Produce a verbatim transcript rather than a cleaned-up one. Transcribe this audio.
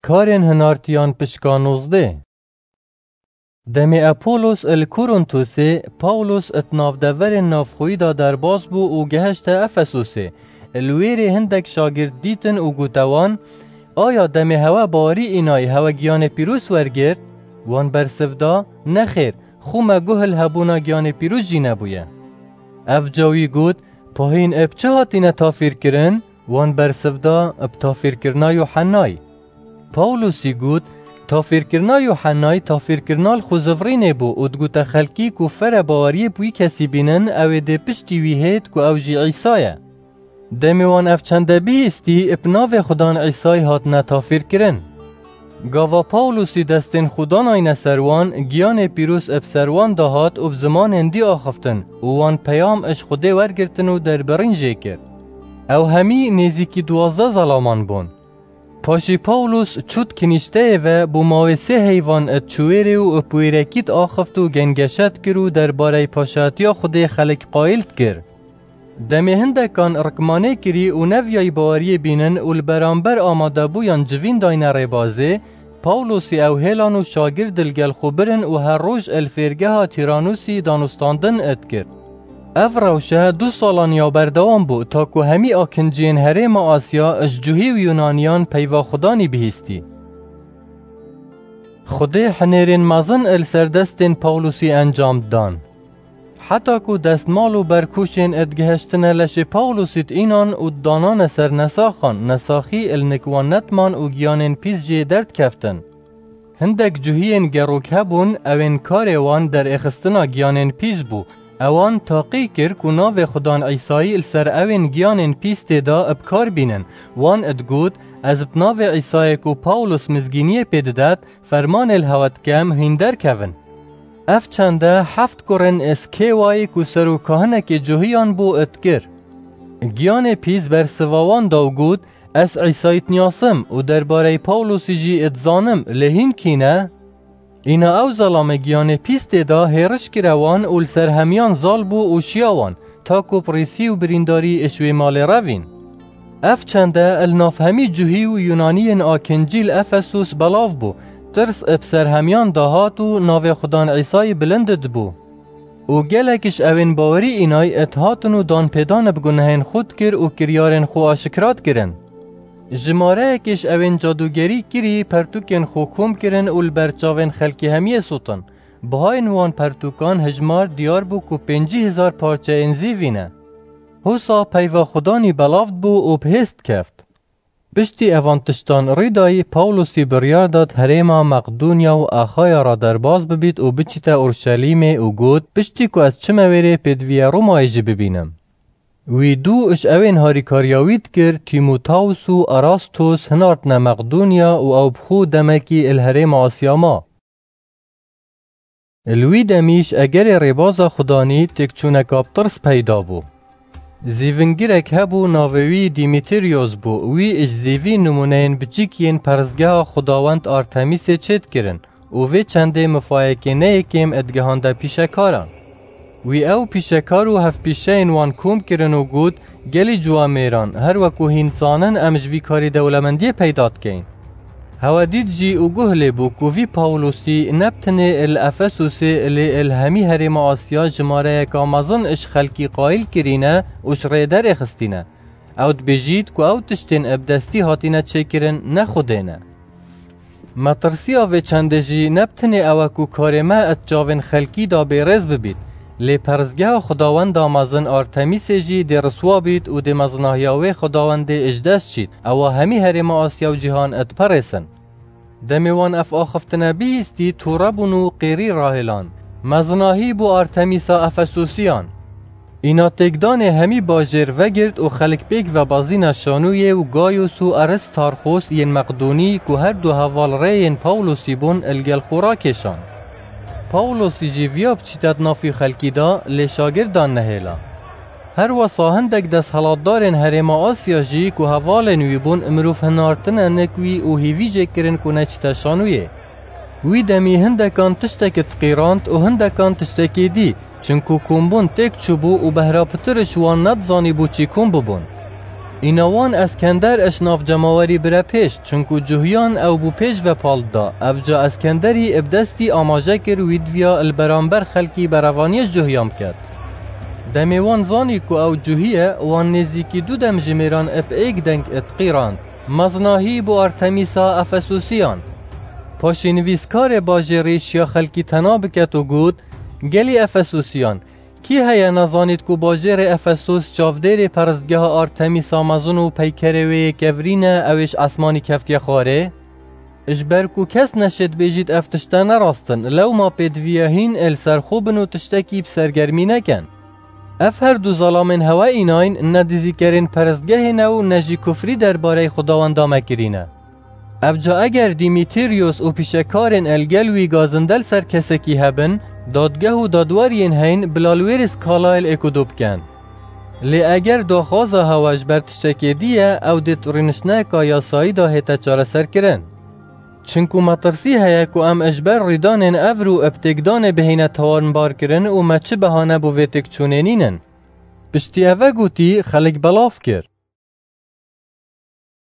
Karên hinartiyan pişka nozdeh. Demê Apolos li Korinthosê, Pawlos di navdeverên navxweyî de derbas bû û gehişte Efesosê. Li wê rê hindek şagirt dîtin û gote wan, "Aya demê hewe bawerî înayî hewe giyanê pîroz wergirt?" Wan bersiv da, "Nexêr, xû me guh li hebûna giyanê pîroz jî nebûye." Ev ca wî got, "Pahîn bi çi hatine tafîrkirin?" Wan bersiv da, "Bi tafîrkirina Yuhennayî." Pawlosî got, "Tafîrkirina Yuhennayî tafîrkirina li xwezivrînê bû û digote xelkî ku fere baweriyê bi wî kesî bînin, ew ê dê piştî wî hêt ku ew jî Îsa ye." Demê wan ev çende bihîstî, bi navê Xudan Îsayî hatine tafîrkirin. Gava Pawlosî destên xwe danayne ser wan, giyanê pîroz bi ser wan de hat û bi zimanên dî axiftin û wan peyam ji Xwedê wergirtin û derbirîn jê kir. Ew hemî nêzîkî duwazdeh zelaman bûn. Paşî Pawlos çû di kinîşteyê ve, bû mawê sê heyvan di çû wê rê û bi wêrekî diaxift û gengeşe dikir û derbarey paşatiya Xwedê xelk qayîl dikir. Demê hindekan rikmanê kirî û neviyayî baweriyê bînin û li beramber amadebûyan civîn dayne rêbazê, Pawlosî ew hêlan û şagird li gel xwe birin û her roj li fêrgeha Tîranûsî danûstandin dikir. Ev rewşe du salan ya berdewam bû, ta ku hemî akinciyên herêma Asya ji cuhî û Yunaniyan peyva Xudanî bihîstî. Xwedê hinêrên mezin li ser destên Pawlosî encam dan. Heta ku destmal û berkûşên digihiştine leşê Pawlosî diînan û didanane ser nesaxan, nesaxî li nik wan nediman û giyanên pîs jê derdikeftin. Hindek cuhiyên gerok hebûn, ewên karê wan derêxistina giyanên pîs bû. Ewan taqî kir ku navê Xudan Îsayî li ser ewên giyanên pîs tê de bi kar bînin. Wan digot, "Ez bi navê Îsayê ku Pawlos mizgîniyê pê didet, fermanê li hewe dikem, hîn derkevin." Ev çende heft kurên Skêwayî ku serokkahinekê cuhiyan bû, dikir. Giyanê pîs bersiva wan da û got, "Ez Îsayî dinasim û derbareyî Pawlosî jî dizanim, lê hîn kî ne?" Îna ew zelamê giyanê pîs tê de hêriş kire wan û li ser hemiyan zal bû û şiya wan, ta ku pirîsî û birîndarî ji wê malê revîn. Ev çende li nav hemî cuhî û Yunaniyên akincî li Efesus belav bû, tirs bi ser hemiyan dahat û navê Xudan Îsayî bilind dibû. Û gelek ji ewên bawerî înay dihatin û danpêdan bi gunehên xwe dikir û kiryarên xwe aşikra dikirin. Jimareyekê ji ewên cadûgerî kirî pertûkên xwe kom kirin û li ber çavên xelkê hemiyê sotin. Bihayên wan pertûkan hijmar diyar bû ku pêncî hezar parçeyên zîvî ne. Hosa peyva Xudanî belav dibû û bi hêz dikeft. Piştî evan tiştan rîdayî, Pawlosî biryar da di herêma Meqdûnya û Axaya re derbas bibît û biçîte Urşelîmê û got, "Piştî ku ez çime wê rê pêdiviya Romayê jî bibînim." Wî dû ji ewên harîkariya wî dikir, Tîmotaus û Erastos hinartine Meqdûnya û ew bi xwe demekî li herêma Asya ma. Li wî demî ji egerê rêbaza Xudanî têkçûneka bi tirs peyda bû. Zîvingirek hebû, navê wî Dîmîtiriyos bû. Wî ji zîvî nimûneyên biçîk yên perestgeha xwedawend Artemîsê çêdikirin û vê çendê mifayekê ne yekêm digihande pîşekaran. Wî ew pîşekar û hevpîşeyên wan kom kirin û got, "Gelî ciwamêran, her weku hîn dizanin, em ji vî karî dewlemendiyê peyda dikeyin." Hewe dît jî û guh lê bû ku vî Pawlosî ne bi tenê li Efesosê, lê li hemî herêma Asya jimareyeka mezin ji xelkî qayîl kirîne û ji rê derêxistîne. Ew dibêjît ku ew tiştên bi destî hatîne çêkirin ne Xwedê ne. Metirsiya vê çendê jî ne bi tenê ew e ku karê me di çavên xelkî de bêrêz bibît, lê perestgeha xwedawenda mezin Artemîsê jî dê riswa bît û dê mezinahiya wê xwedawendê ji dest çît, ewa hemî herêma Asya û cîhan diperêsin. Demê wan ev axiftina bihîstî, tûre bûn û qêrî rahêlan. Mezinahî bû Artemîsa Efesosiyan. Îna têkdanê hemî bajêr vegirt û xelk pêk ve bazîna Şanûyê û Gayos û Aristarxos yên Meqdûnî ku her du heval rê yên Pawlosî bûn, li gel xwe rakêşan. Pawlosî jî viya biçîte di nav wî xelkî de, lê şagirdan nehêla. Her wesa hindek desthilatdarên herêma Asya jî ku hevalên wî bûn, mirov hinartine nik wî û hêvî jê kirin ku neçîte Şanûyê. Wî demî hindekan tiştekî diqîrand û hindekan tiştekî dî, çinku kombûn têk çûbû û behra pitir ji wan nedizanîbû çî kom bibûn. Îna wan Eskender iş nav cemawerî bire pêş, çinku cuhiyan ew bû pêş ve pal dida. Evca Eskenderî bi destî amaje kir wî diviya li beramber xelkî berevaniyê ji cuhiyan biket. Demê wan zanî ku ew cuhî ye, wan nêzîkî du demjimêran bi êk deng diqîrand. Mezinahî bo Artemîsa Efesusiyan. Paşê nivîskarê bajêrî şiya xelkî tena biket û got, Gelî Efesusiyan, kî heye nezanît ku bajêrê Efesus çavdêrê peristgeha Artemîsa mezin û peykerê wê yê kevirî ne, ew ê ji esmanî keftiye xwarê? Ji ber ku kes neşêt bêjît ev tişte ne rast in, lewma pêdiviye hîn ê li ser xwe bin û tiştekî bi sergermî nekin. Ev her du zelamên hewe înayn ne dizîkerên peristgehê ne û ne jî kufrî derbarey Xwedawenda me kirî ne. Evca eger Dîmîtîryos û pîşekarên el gel wî gazinde li ser kesekî hebin, dadgeh û dadweriyên heyn bila li wê rê skalayê li êk û du bikin. Lê eger daxwaza hewe ji ber tiştekê dî ye, ew dê di rûniştneka yasayî de hête çareserkirin. Çinku metirsî heye ku em ji ber rîdanên evro û bi têkdanê bihêne tawanbarkirin û me çi behane bo vê têkçûnê nînin. Piştî eve gotî, xelk belav kir.